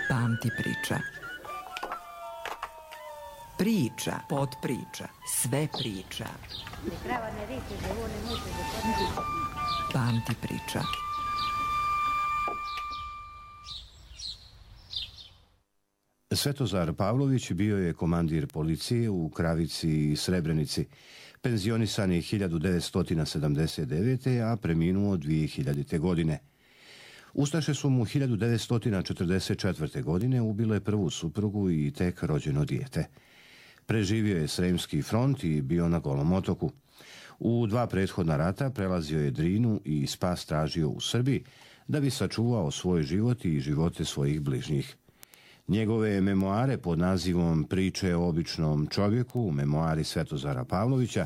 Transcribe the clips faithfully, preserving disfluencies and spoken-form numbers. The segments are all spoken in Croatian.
Pamti priča. Priča, potpriča, sve priča. Pamti priča. Svetozar Pavlović bio je komandir policije u Kravici i Srebrenici. Penzionisan je hiljadu devetsto sedamdeset devete. a preminuo dvije hiljadite. godine. Ustaše su mu hiljadu devetsto četrdeset četvrte. godine ubile prvu suprugu i tek rođeno dijete. Preživio je Sremski front i bio na Golom otoku. U dva prethodna rata prelazio je Drinu i spas tražio u Srbiji da bi sačuvao svoj život i živote svojih bližnjih. Njegove memoare pod nazivom Priče o običnom čovjeku, memoari Svetozara Pavlovića,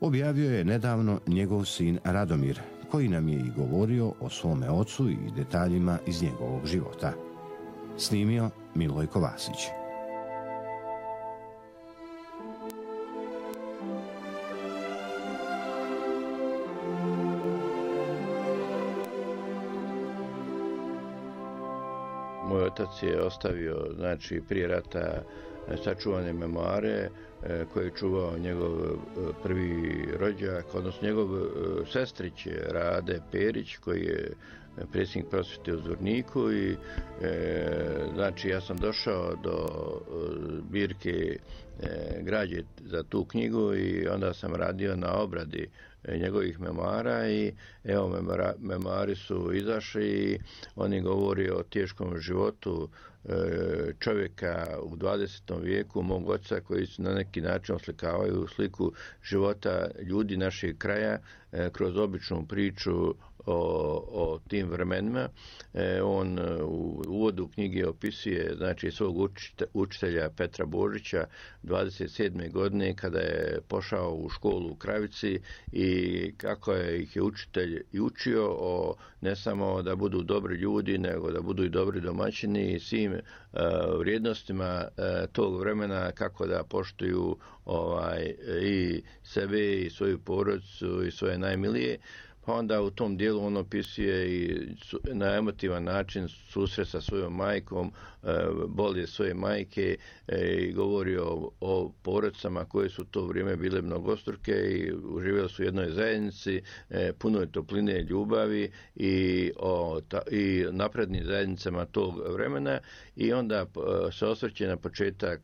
objavio je nedavno njegov sin Radomir, koji nam je i govorio o svome ocu i detaljima iz njegovog života. Snimio Milojko Vasić. Moj otac je ostavio, znači, prije rata sačuvane memoare koje je čuvao njegov prvi rođak, odnosno njegov sestrić Rade Perić, koji je predsjednik prosvjete u Zvorniku i e, znači ja sam došao do zbirke e, građe za tu knjigu i onda sam radio na obradi njegovih memoara i evo memora, memoari su izašli i oni govori o teškom životu e, čovjeka u dvadesetom vijeku, mog oca, koji su na neki način oslikavaju sliku života ljudi našeg kraja e, kroz običnu priču o, o tim vremenima. E, on u uvodu knjige opisuje, znači, svog učitelja Petra Božića dvadeset sedme. godine kada je pošao u školu u Kravici i kako je ih je učitelj i učio o ne samo da budu dobri ljudi, nego da budu i dobri domaćini i svim uh, vrijednostima uh, tog vremena, kako da poštuju ovaj, i sebe i svoju porodicu i svoje najmilije. Pa onda u tom dijelu on opisuje i na emotivan način susret sa svojom majkom, bolje svoje majke i govori o, o porodicama koje su u to vrijeme bile mnogostruke i uživjeli su u jednoj zajednici, puno je topline, ljubavi i, o, ta, i naprednim zajednicama tog vremena i onda se osvrće na početak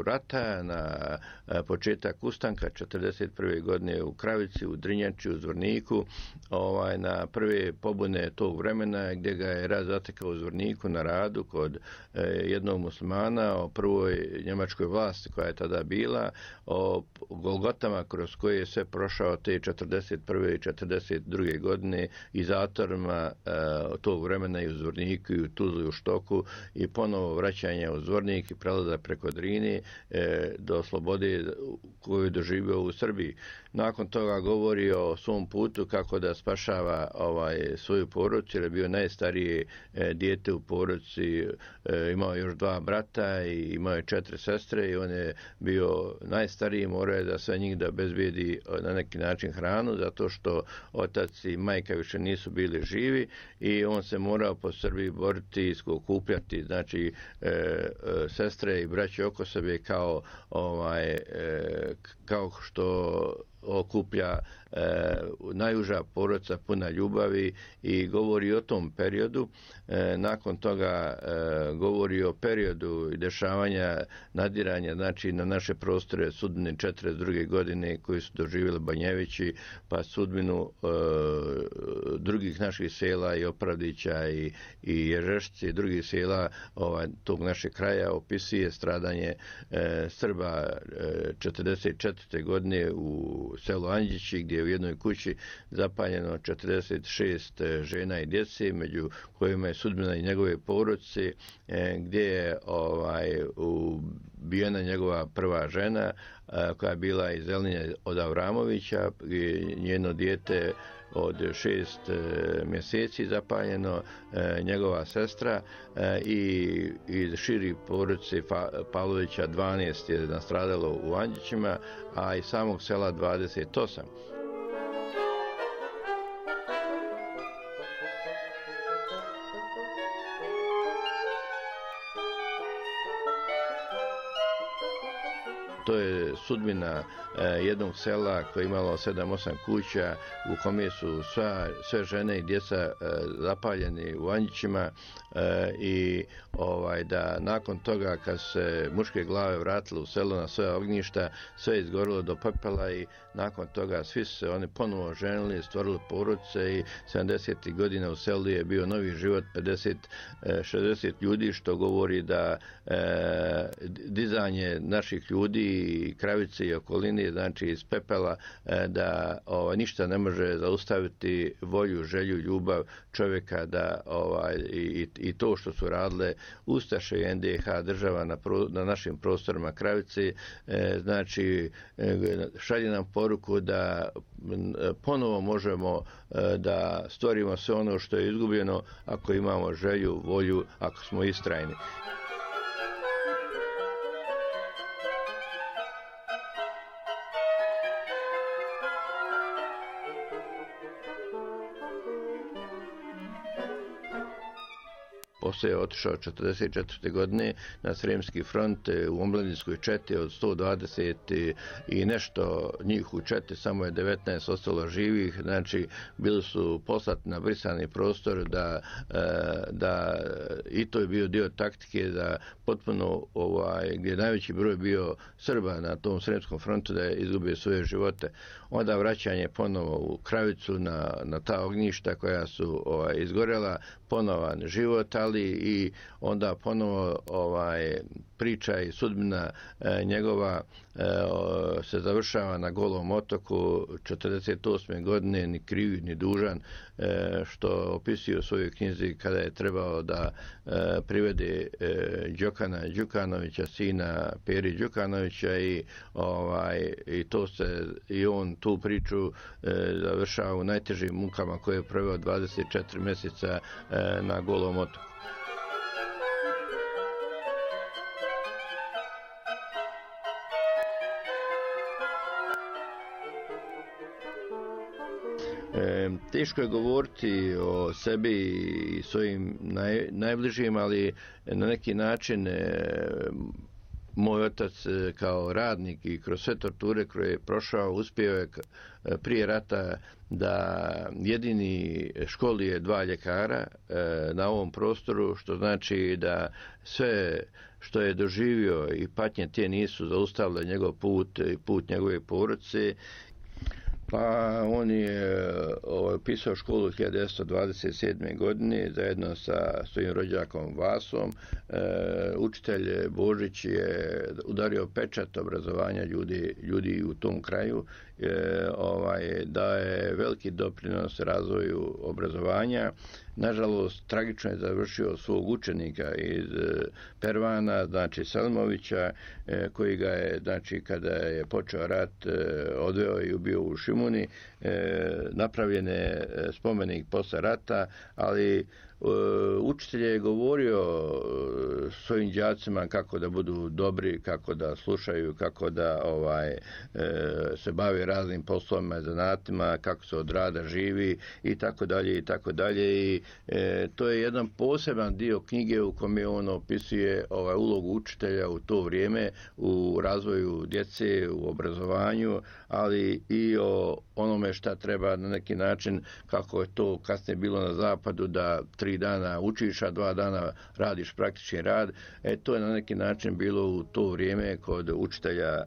rata, na početak ustanka četrdeset prve. godine u Kravici, u Drinjači, u Zvorniku, ovaj, na prve pobune tog vremena gdje ga je rat zatekao u Zvorniku na radu kod e, jednog muslimana, o prvoj njemačkoj vlasti koja je tada bila, o golgotama kroz koje je sve prošao te četrdeset prve. i četrdeset druge. godine i zatvorima e, tog vremena i u Zvorniku i u Tuzli, u Štoku i ponovo vraćanje u Zvornik i prelazak preko Drine e, do slobode koju je doživio u Srbiji. Nakon toga govori o svom putu kako da spašava ovaj, svoju porodicu, jer je bio najstarije e, dijete u porodici, e, imao još dva brata i imao je četiri sestre i on je bio najstariji, morao je da sve njih da bezbedi na neki način hranu, zato što otac i majka više nisu bili živi i on se morao po Srbiji boriti i skupljati, znači e, e, sestre i braće oko sebe kao, ovaj, e, kao što okuplja e, najuža porodica puna ljubavi i govori o tom periodu. E, nakon toga e, govori o periodu i dešavanja nadiranja, znači na naše prostore sudbine četrdeset druge. godine koji su doživjeli Banjevići, pa sudbinu e, drugih naših sela i Opravdića i, i Ježešci i drugih sela ovaj, tog našeg kraja, opisuje stradanje e, Srba e, četrdeset četvrte. godine u selu Anđići, gdje je u jednoj kući zapaljeno četrdeset šest žena i djece, među kojima je sudbina i njegove porodice, gdje je ovaj, ubijena njegova prva žena, koja je bila iz Zelinja od Avramovića, i njeno dijete od šest mjeseci zapaljeno, njegova sestra i iz širi porodice Pavlovića dvanaest je nastradalo u Anđićima, a iz samog sela dvadeset osam. to je sudbina jednog sela koje je imalo sedam osam kuća u kome su sva, sve žene i djeca zapaljeni u vanjićima i ovaj, da nakon toga kad se muške glave vratile u selo na svoje ognjišta, sve je izgorilo do pepela i nakon toga svi su se oni ponovo ženili, stvorili porodice i sedamdesetih godina u selu je bio novi život, pedeset šezdeset ljudi, što govori da e, dizanje naših ljudi i Kravice i okoline, znači iz pepela, e, da ovaj, ništa ne može zaustaviti volju, želju, ljubav čovjeka da ovaj, i, i to što su radile ustaše i en de ha država na, pro, na našim prostorima Kravice, e, znači e, šalje nam poruku da ponovo možemo e, da stvorimo sve ono što je izgubljeno ako imamo želju, volju, ako smo istrajni. Poslije je otišao četrdeset četvrte godine na Sremski front u omladinskoj četi od sto dvadeset i nešto njih u četi, samo je devetnaest ostalo živih, znači bili su poslati na brisani prostor da, da i to je bio dio taktike da potpuno ovaj, gdje je najveći broj bio Srba na tom Sremskom frontu da je izgubio svoje živote. Onda vraćanje ponovo u Kravicu na, na ta ognjišta koja su ovaj, izgorela, ponovan život, ali i onda ponovo ovaj, priča i sudbina e, njegova e, o, se završava na Golom otoku četrdeset osme godine, ni kriv ni dužan, e, što opisuje u svojoj knjizi kada je trebao da e, privede e, Đokana Đukanovića, sina Peri Đukanovića i, ovaj, i to se i on tu priču e, završava u najtežim mukama koje je proveo dvadeset četiri mjeseca e, na Golom otoku. E, teško je govoriti o sebi i svojim naj, najbližim, ali na neki način e, moj otac e, kao radnik i kroz sve torture koje je prošao, uspio je prije rata da jedini školuje dva ljekara e, na ovom prostoru, što znači da sve što je doživio i patnje te nisu zaustavile njegov put i put njegove porodice. Pa on je ovaj, pisao školu hiljadu devetsto dvadeset sedme. godine zajedno sa svojim rođakom Vasom. E, učitelj Božić je udario pečat obrazovanja ljudi, ljudi u tom kraju. E, ovaj, daje veliki doprinos razvoju obrazovanja. Nažalost, tragično je završio svog učenika iz Pervana, znači Selmovića, e, koji ga je, znači, kada je počeo rat, e, odveo i ubio u Šimuni. E, napravljen je spomenik posle rata, ali učitelj je govorio svojim đacima kako da budu dobri, kako da slušaju, kako da ovaj se bave raznim poslovima, zanatima, kako se od rada živi i tako dalje i tako dalje. I e, to je jedan poseban dio knjige u kome on opisuje ovaj ulogu učitelja u to vrijeme u razvoju djece, u obrazovanju, ali i o onome šta treba na neki način, kako je to kasnije bilo na zapadu, da tri dana učiš, a dva dana radiš praktični rad. E, to je na neki način bilo u to vrijeme kod učitelja e,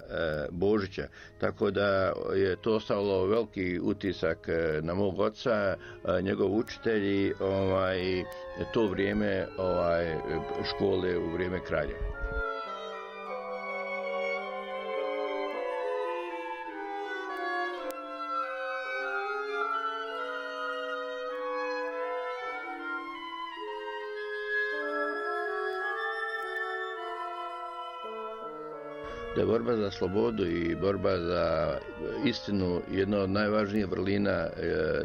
Božića. Tako da je to ostavilo veliki utisak na mog oca, njegov učitelj i ovaj, to vrijeme ovaj, škole u vrijeme Kraljeva. Da je borba za slobodu i borba za istinu jedna od najvažnijih vrlina e, e,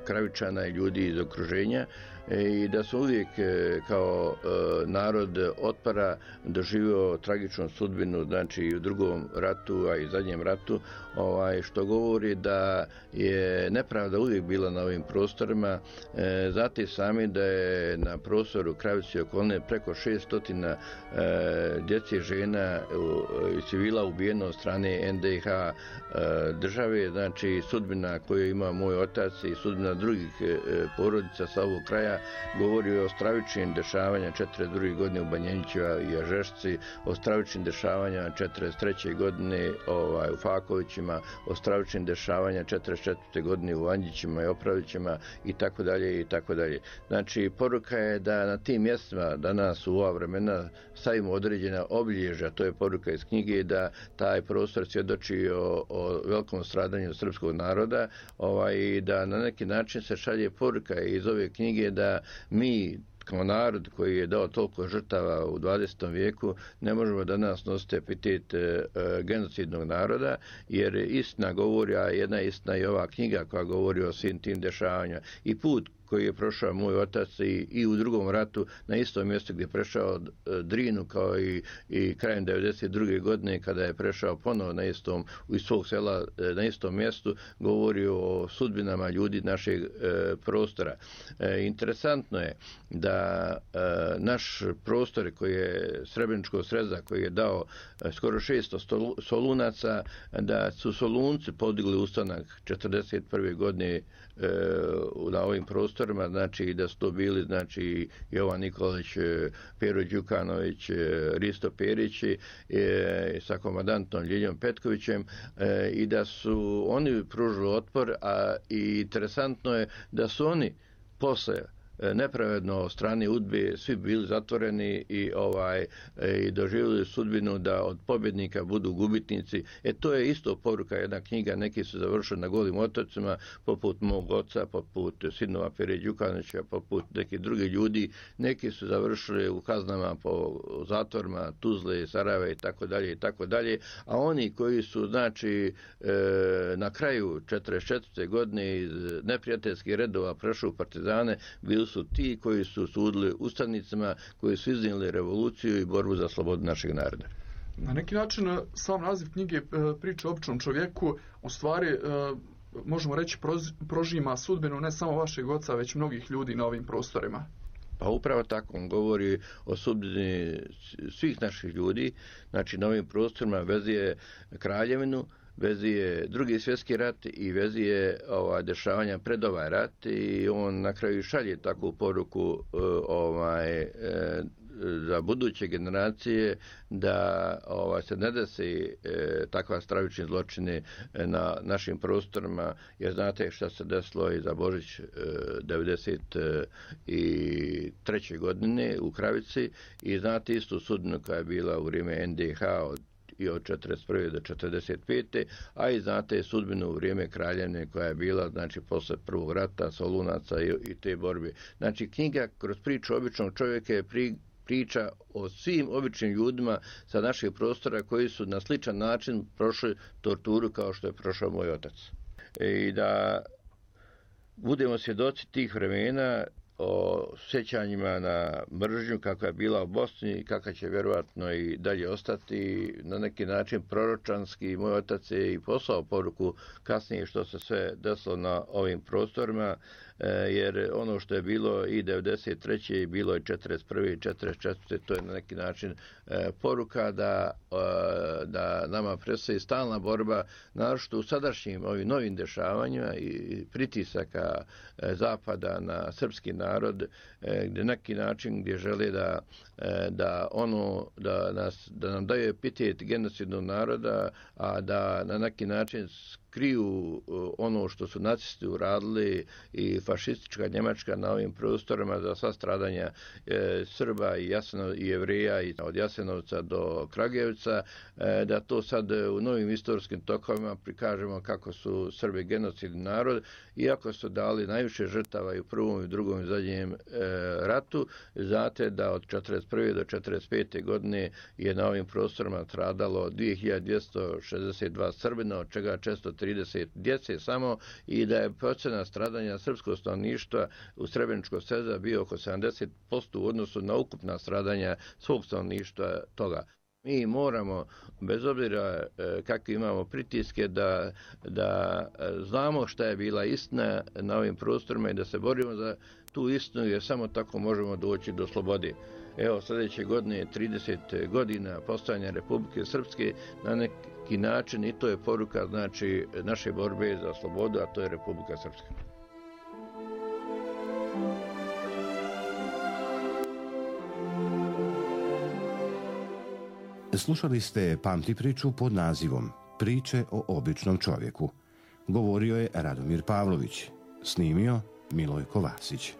Kravičana i ljudi iz okruženja e, i da su uvijek e, kao e, narod otpora doživio tragičnu sudbinu, znači i u drugom ratu, a i zadnjem ratu, ovaj, što govori da je nepravda uvijek bila na ovim prostorima. E, znate sami da je na prostoru Kravice i okoline preko šeststo e, djece, žena iz civila ubijeno od strane en de ha države, znači sudbina koju ima moj otac i sudbina drugih porodica sa ovog kraja govori o stravičnim dešavanja četrdeset druge godine u Banjenićeva i Ažešci, o stravičnim dešavanja četrdeset treće godine ovaj, u Fakovićima, o stravičnim dešavanja četrdeset četvrte godine u Anđićima i Opravićima i tako dalje i tako dalje. Znači, poruka je da na tim mjestima danas u ova vremena stavimo određena obilježja, to je poruka iz knjige, da taj prostor svjedoči o, o velikom stradanju srpskog naroda, ovaj, i da na neki način se šalje poruka iz ove knjige da mi kao narod koji je dao toliko žrtava u dvadesetom vijeku ne možemo danas nositi epitet e, genocidnog naroda, jer istina govori, a jedna istina je ova knjiga koja govori o svim tim dešavanjima i put koji je prošao moj otac i, i u drugom ratu na istom mjestu gdje je prešao Drinu, kao i, i krajem devedeset druge godine kada je prešao ponovo na istom, iz svog sela na istom mjestu, govori o sudbinama ljudi našeg e, prostora. E, interesantno je da e, naš prostor koji je Srebreničkog sreza, koji je dao e, skoro šesto Solunaca, da su Solunci podigli ustanak četrdeset prve godine na ovim prostorima, znači da su to bili znači Jovan Nikolić, Pero Đukanović, Risto Perić e, sa komandantom Ljiljom Petkovićem e, i da su oni pružili otpor, a i interesantno je da su oni posle nepravedno od strane udbe svi bili zatvoreni i ovaj i doživjeli sudbinu da od pobjednika budu gubitnici. E to je isto poruka, jedna knjiga, neki su završili na Golim otocima, poput mog oca, poput sinova Pere Đukanovića, poput nekih drugih ljudi, neki su završili u kaznama po zatvorima Tuzle, Sarajeva i tako dalje i tako dalje, a oni koji su znači na kraju četrdeset četvrte godine iz neprijateljskih redova prešli u partizane, bili su ti koji su sudili ustanicima, koji su iznijeli revoluciju i borbu za slobodu našeg naroda. Na neki način sam naziv knjige Priča o običnom čovjeku u stvari možemo reći prožima sudbinu ne samo vašeg oca, već mnogih ljudi na ovim prostorima. Pa upravo tako, on govori o sudbini svih naših ljudi, znači na ovim prostorima vezuje Kraljevinu, vezuje drugi svjetski rat i vezuje ovaj, dešavanja pred ovaj rat i on na kraju šalje takvu poruku ovaj, za buduće generacije da ovaj, se ne desi e, takva stravični zločini na našim prostorima, jer znate šta se desilo i za Božić e, devedeset treće godine u Kravici i znate istu sudbinu koja je bila u vrijeme en de ha od i od četrdeset prve do četrdeset pete a i znate sudbinu u vrijeme Kraljevine koja je bila, znači, posle prvog rata, Solunaca i, i te borbe. Znači, knjiga kroz priču običnog čovjeka je pri, priča o svim običnim ljudima sa naših prostora koji su na sličan način prošli torturu kao što je prošao moj otac. I da budemo svjedoci tih vremena, o sjećanjima na mržnju kakva je bila u Bosni i kakva će vjerovatno i dalje ostati, na neki način proročanski. Moj otac je i poslao poruku kasnije što se sve desilo na ovim prostorima, jer ono što je bilo i devedeset treće i bilo i četrdeset prve i četrdeset četvrte to je na neki način poruka da, da nama predstoji stalna borba, naročito u sadašnjim ovim novim dešavanjima i pritisaka Zapada na srpski narod, gdje neki način gdje žele da, da ono da nas da nam daju epitet genocidnog naroda, a da na neki način kriju ono što su nacisti uradili i fašistička Njemačka na ovim prostorima za sva stradanja e, Srba i, Jaseno, i Jevreja i od Jasenovca do Kragujevca, e, da to sad u novim istorijskim tokovima prikažemo kako su Srbi genocidni narod, iako su dali najviše žrtava i u prvom i u drugom i zadnjem e, ratu. Znate da od četrdeset prve do četrdeset pete godine je na ovim prostorima stradalo dvije hiljade dvjesto šezdeset dva Srbina, od čega često trideset djece samo, i da je procena stradanja srpskog stanovništva u Srebreničkog sreza bio oko sedamdeset posto u odnosu na ukupna stradanja svog stanovništva toga. Mi moramo, bez obzira kakve imamo pritiske, da, da znamo šta je bila istina na ovim prostorima i da se borimo za tu istinu, jer samo tako možemo doći do slobode. Evo, sljedeće godine je trideset godina postojanja Republike Srpske, na neki način i to je poruka, znači, naše borbe za slobodu, a to je Republika Srpska. Slušali ste Pamti priču pod nazivom Priče o običnom čovjeku. Govorio je Radomir Pavlović, snimio Milojko Vasić.